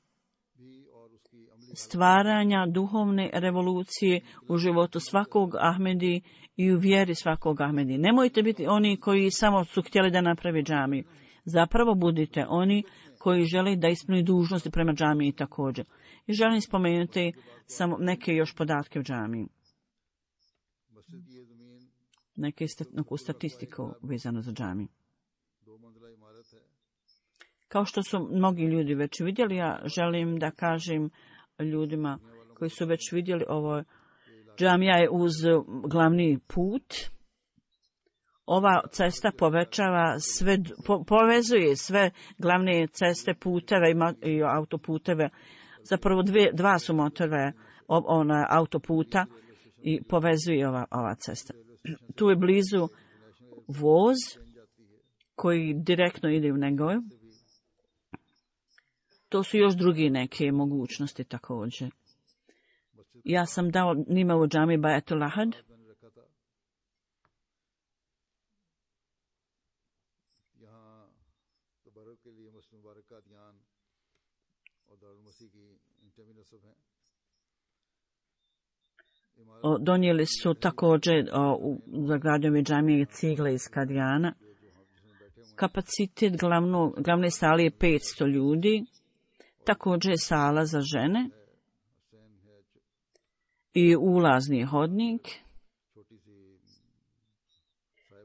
stvaranja duhovne revolucije u životu svakog Ahmedi i u vjeri svakog Ahmedi. Nemojte biti oni koji samo su htjeli da napravi džamiju. Zapravo budite oni koji žele da ispuni dužnosti prema džamiji također. I želim spomenuti samo neke još podatke u džamiji. Neku statistiku vezano za džamiju. Kao što su mnogi ljudi već vidjeli, ja želim da kažem ljudima koji su već vidjeli ovo. Džamija je uz glavni put. Ova cesta povećava sve, povezuje sve glavne ceste, puteve i autoputeve. Zapravo dva su motorve autoputa i povezuje ova cesta. Tu je blizu voz koji direktno ide u Negoju. To su još drugi neke mogućnosti također. Ja sam dao njima u džami Bajatul Ahad. Donijeli su također za gradnjove džamije cigle iz Kadijana. Kapacitet glavne sale je 500 ljudi, također je sala za žene i ulazni hodnik,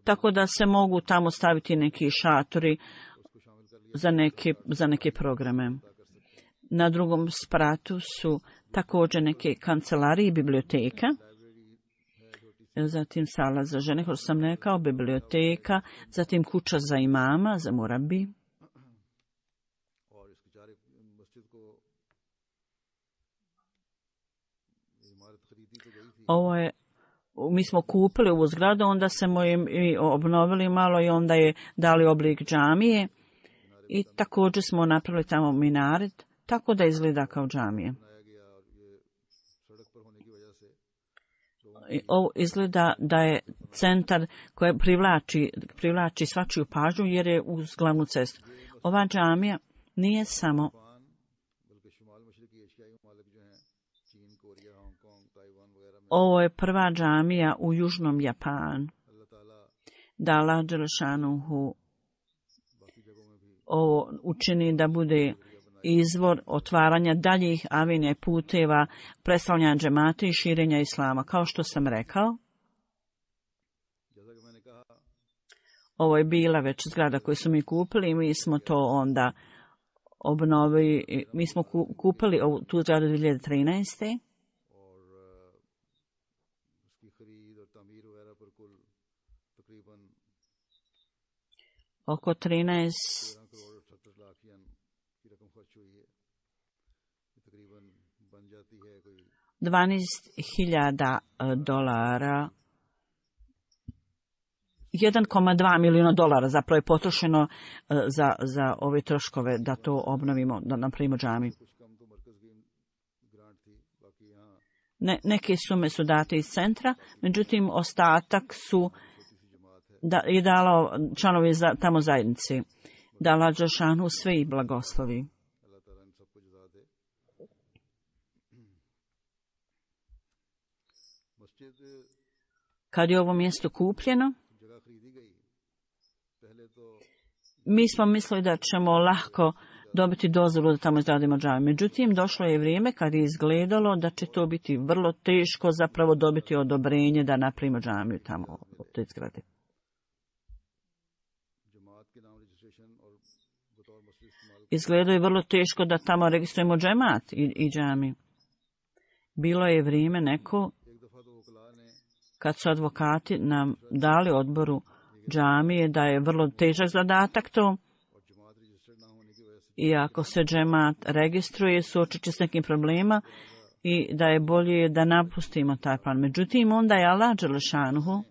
tako da se mogu tamo staviti neki šatori za neke programe. Na drugom spratu su također neke kancelarije i biblioteka, zatim sala za žene, kao što sam rekao, biblioteka, zatim kuća za imama, za murabi. Mi smo kupili ovu zgradu, onda smo je obnovili malo i onda je dali oblik džamije i također smo napravili tamo minaret, tako da izgleda kao džamije. Ovo izgleda da je centar koji privlači svačiju pažnju jer je uz glavnu cestu. Ova džamija nije samo ovo je prva džamija u južnom Japanu. Da Allah dželešanuhu ovo učini da bude izvor otvaranja daljih avenija i puteva, predstavljanja džemata i širenja islama. Kao što sam rekao, ovo je bila već zgrada koju su mi kupili i mi smo to onda obnovili. Mi smo kupili tu zgradu 2013. Oko 12.000 dolara, 1,2 milijuna dolara zapravo je potrošeno za ove troškove da to obnovimo, da napravimo džamiju. Neke sume su date iz centra, međutim ostatak je dalo članovi tamo zajednici. Da Allah dželešanu sve ih blagoslovi. Kad je ovo mjesto kupljeno, mi smo mislili da ćemo lahko dobiti dozvolu da tamo izradimo džamiju. Međutim, došlo je vrijeme kad je izgledalo da će to biti vrlo teško zapravo dobiti odobrenje da napravimo džamiju tamo u toj zgradi. Izgledalo je vrlo teško da tamo registrujemo džemat i džamiju. Bilo je vrijeme neko kad su advokati nam dali odboru džamije da je vrlo težak zadatak to. I ako se džemat registruje, suočit će s nekim problema i da je bolje da napustimo taj plan. Međutim, onda je Allah dželešanuhu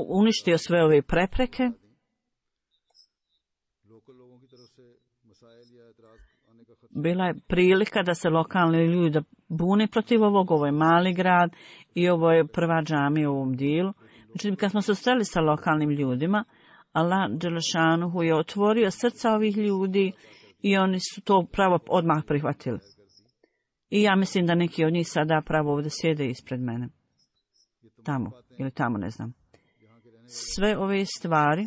uništio sve ove prepreke. Bila je prilika da se lokalni ljudi bune protiv ovog, ovo je mali grad i ovo je prva džamija u ovom dijelu. Međutim, kad smo se sreli sa lokalnim ljudima, Allah dželešanuhu je otvorio srca ovih ljudi i oni su to pravo odmah prihvatili. I ja mislim da neki od njih sada pravo ovdje sjede ispred mene. Tamo, ili tamo, ne znam. Sve ove stvari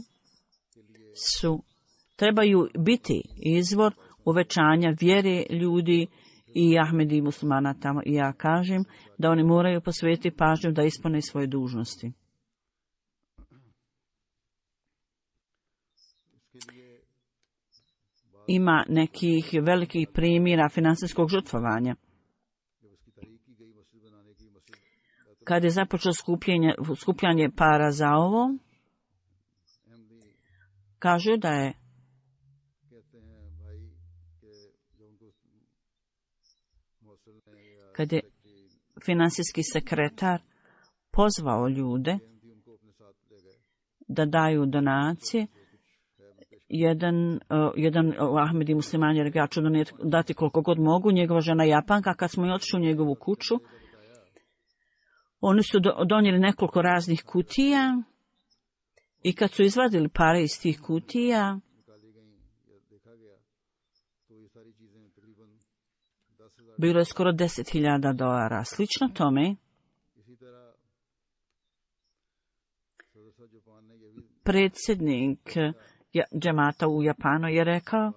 trebaju biti izvor uvećanja vjere ljudi i Ahmedi i muslimana tamo. I ja kažem da oni moraju posvetiti pažnju da ispune svoje dužnosti. Ima nekih velikih primjera financijskog žrtvovanja. Kad je započelo skupljanje para za ovo, kažu da je kad je financijski sekretar pozvao ljude da daju donacije, jedan Ahmedi musliman je rekao, ja ću dati koliko god mogu, njegova žena Japanka, kad smo otišli u njegovu kuću, oni su donijeli nekoliko raznih kutija i kad su izvadili pare iz tih kutija, bilo je skoro 10.000 dolara. Slično tome, predsjednik džemata u Japanu je rekao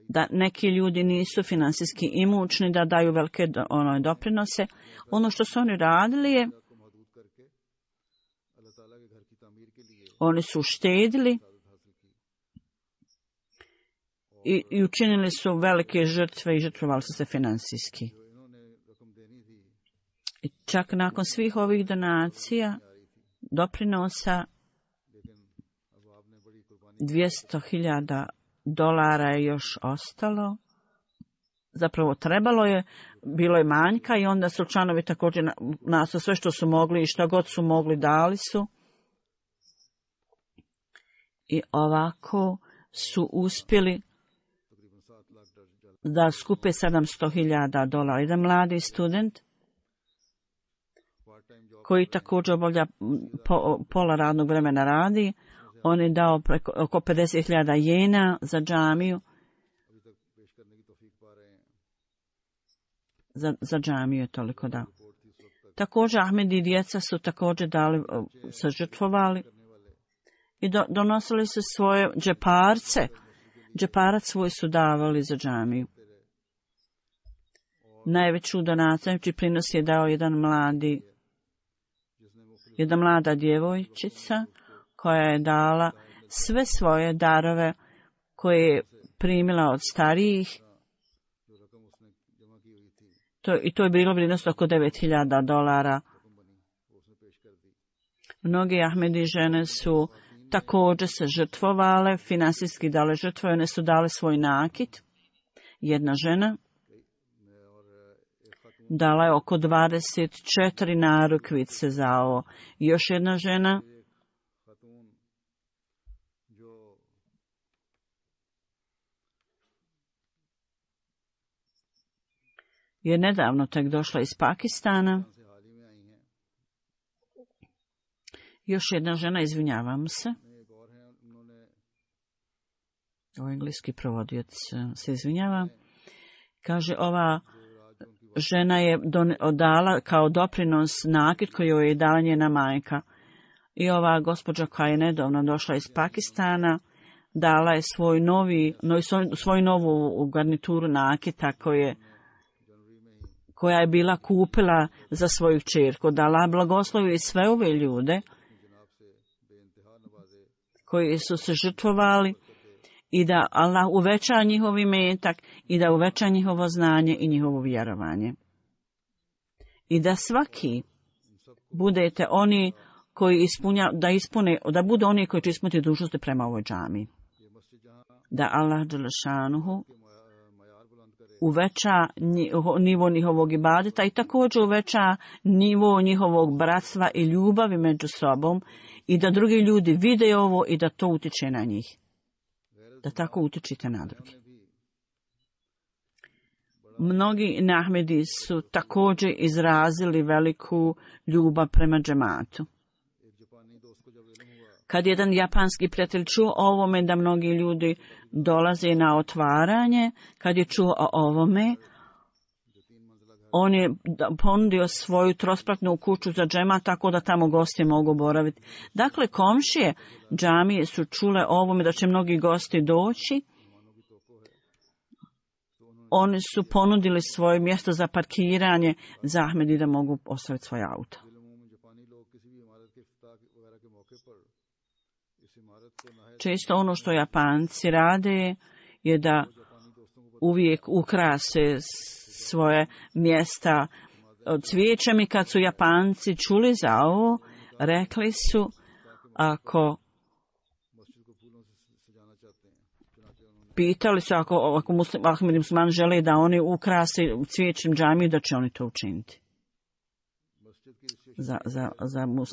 da neki ljudi nisu finansijski imućni da daju velike doprinose. Ono što su oni radili je, oni su štedili i učinili su velike žrtve i žrtvovali su se finansijski. I čak nakon svih ovih donacija, doprinosa, $200,000 je još ostalo. Zapravo trebalo je, bilo je manjka i onda su članovi također nasu sve što su mogli i što god su mogli dali su. I ovako su uspjeli da skupe $700,000. Jedan mladi student koji također obavlja pola radnog vremena radi, on je dao oko 50,000 jena za džamiju. Za džamiju je toliko dao. Također Ahmedi i djeca su također dali, se žrtvovali i donosili su svoje džeparce. Džeparac svoj su davali za džamiju. Najveću donaciju, najveći prinos je dao jedna mlada djevojčica koja je dala sve svoje darove koje je primila od starijih. I to je bilo vrijednost oko $9,000. Mnogi Ahmedi žene su također se žrtvovale, finansijski dale žrtve, one su dale svoj nakit. Jedna žena dala je oko 24 narukvice za ovo. Još jedna žena je nedavno tek došla iz Pakistana. Još jedna žena, izvinjavam se. Ovo engleski provodioc se izvinjava. Kaže, ova žena je dala kao doprinos nakit koji joj je dala njena majka. I ova gospođa koja je nedavno došla iz Pakistana dala je svoju novu garnituru nakita koja je bila kupila za svoju kćerku. Da Allah blagoslovi sve ove ljude koji su se žrtvovali i da Allah uveća njihov imetak i da uveća njihovo znanje i njihovo vjerovanje. I da svaki budete oni koji da budu oni koji će ispuniti dužnosti prema ovoj džami. Da Allah dželešanuhu uveća nivo njihovog ibadeta i također uveća nivo njihovog bratstva i ljubavi među sobom i da drugi ljudi vide ovo i da to utiče na njih. Da tako utičite na drugi. Mnogi Ahmedi su također izrazili veliku ljubav prema džematu. Kad jedan japanski prijatelj čuo o ovome da mnogi ljudi dolaze na otvaranje, kad je čuo o ovome, on je ponudio svoju trospratnu kuću za džemat tako da tamo gosti mogu boraviti. Dakle, komšije džamije su čule o ovome da će mnogi gosti doći. Oni su ponudili svoje mjesto za parkiranje za Ahmedi da mogu ostaviti svoje auto. Često ono što Japanci rade je da uvijek ukrase svoje mjesta cvijećem i kad su Japanci čuli za ovo, rekli su ako pitali su ako Ahmedi musliman žele da oni ukrase cvijećem džamiju, da će oni to učiniti. Za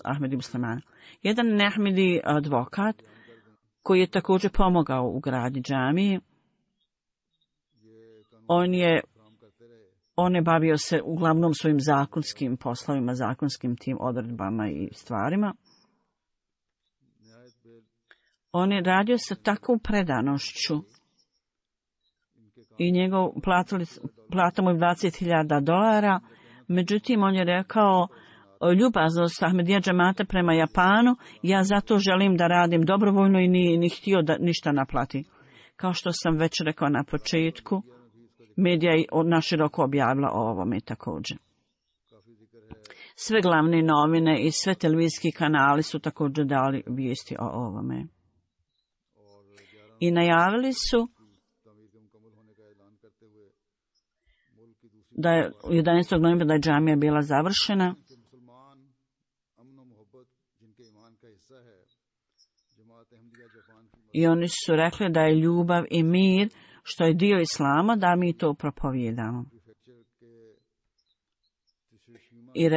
Ahmedi muslimana. Jedan neahmedi advokat koji je također pomogao u gradnji džamije, on je bavio se uglavnom svojim zakonskim poslovima, zakonskim tim odredbama i stvarima. On je radio sa takvom predanošću i plata mu je $20,000, međutim on je rekao ljubaznost Ahmedija džemata prema Japanu, ja zato želim da radim dobrovoljno i ni htio da ništa naplati. Kao što sam već rekao na početku, medija je naširoko objavila o ovome također. Sve glavne novine i sve televizijski kanali su također dali vijesti o ovome. I najavili su da je 11. novembra da je džamija bila završena. I oni su rekli da je ljubav i mir, što je dio islama, da mi to propovijedamo. I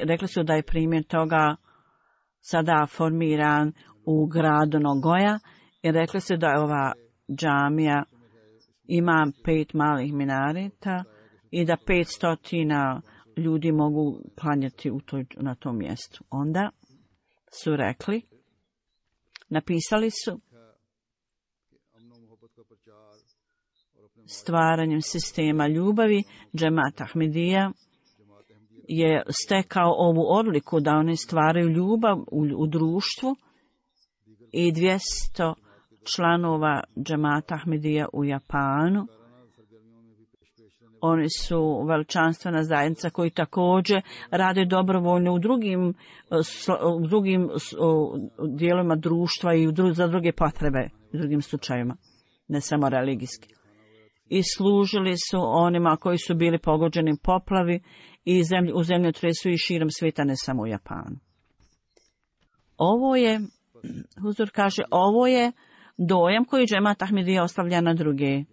rekli su da je primjer toga sada formiran u gradu Nogoja i rekli su da je ova džamija ima 5 malih minareta i da 500 ljudi mogu klanjati na tom mjestu. Onda su rekli, napisali su, stvaranjem sistema ljubavi, džemat Ahmedija je stekao ovu odliku da oni stvaraju ljubav u društvu i 200 članova džemata Ahmedija u Japanu. Oni su veličanstvena zajednica koji također rade dobrovoljno u drugim dijelovima društva i za druge potrebe, u drugim slučajevima, ne samo religijski. I služili su onima koji su bili pogođeni poplavi i u zemljotresu i širom svijeta, ne samo u Japanu. Ovo je, Huzur kaže, ovo je dojam koji džemat Ahmedija ostavlja na druge.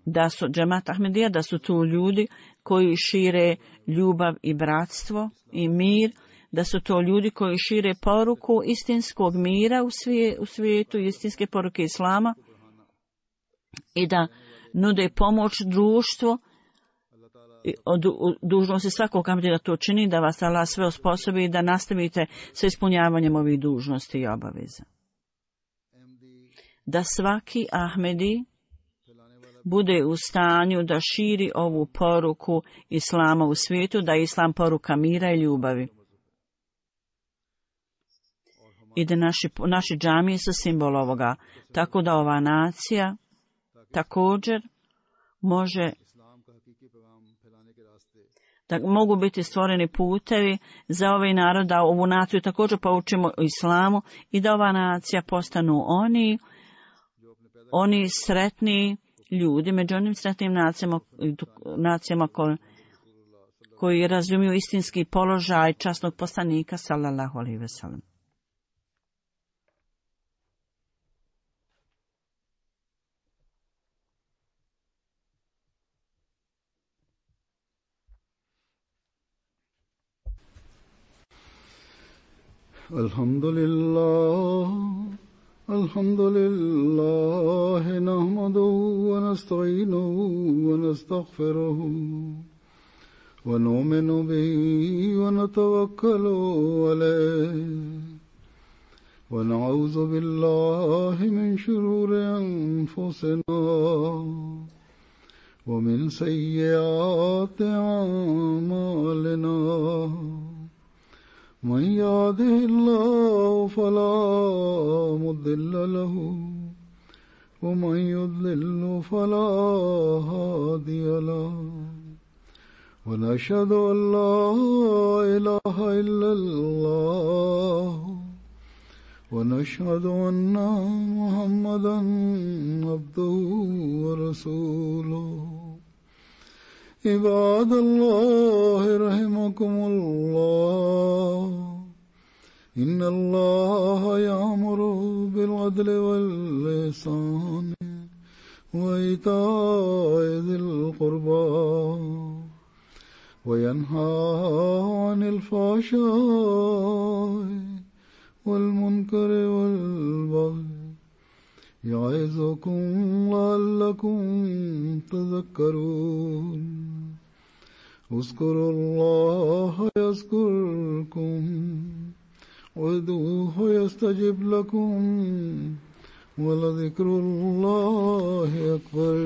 Da su džemat Ahmedija, da su tu ljudi koji šire ljubav i bratstvo i mir, da su to ljudi koji šire poruku istinskog mira u svijetu, istinske poruke islama i da nude pomoć društvu. Dužnost je svakog Ahmedija da to čini, da vas Allah sve osposobi i da nastavite sa ispunjavanjem ovih dužnosti i obaveza. Da svaki Ahmedi bude u stanju da širi ovu poruku islama u svijetu, da je islam poruka mira i ljubavi. I da naši džamije su simbol ovoga. Tako da ova nacija također može, da mogu biti stvoreni putevi za ovaj narod, da ovu naciju također poučimo o islamu i da ova nacija postanu oni sretni ljudi, među onim sretnim nacijama koji razumiju istinski položaj časnog poslanika sallallahu alejhi ve sellem. الحمد لله نحمده ونستعينه ونستغفره ونؤمن به ونتوكل عليه ونعوذ بالله من شرور أنفسنا ومن سيئات أعمالنا من يهده الله فلا مضل له ومن يضلل فلا هادي له ونشهد أن لا إله إلا الله ونشهد أن محمدا عبده ورسوله عباد الله رحمكم الله إن الله يأمر بالعدل والإحسان وإيتاء ذي القربى وينهى عن الفحشاء والمنكر والبغي يعظكم لعلكم تذكرون اذكروا الله يذكركم وادعوه يستجب لكم ولذكر الله أكبر